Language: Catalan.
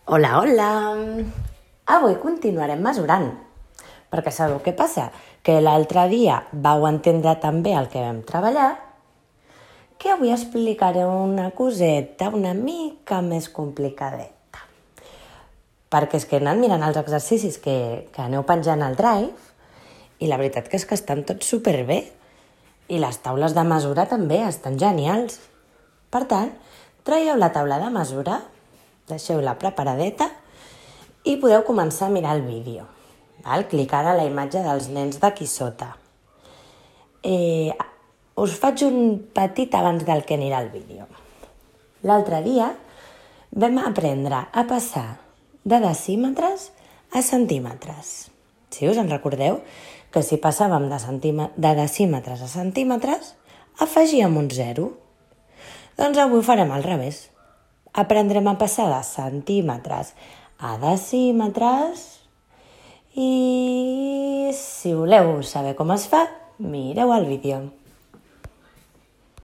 Hola, hola! Avui continuarem mesurant, perquè sabeu què passa? Que l'altre dia vau entendre tan bé el que vam treballar que avui explicaré una coseta una mica més complicadeta. Perquè és que he anat mirant els exercicis que aneu penjant al Drive i la veritat que és que estan tots superbé i les taules de mesura també estan genials. Per tant, traieu la taula de mesura, deixeu-la preparadeta i podeu començar a mirar el vídeo. Clicar a la imatge dels nens d'aquí sota. Us faig un petit abans del que anirà el vídeo. L'altre dia vam aprendre a passar de decímetres a centímetres. Si us en recordeu, que si passàvem de decímetres a centímetres, afegíem un 0. Doncs avui ho farem al revés. Aprendrem a passar de centímetres a decímetres i si voleu saber com es fa, mireu el vídeo.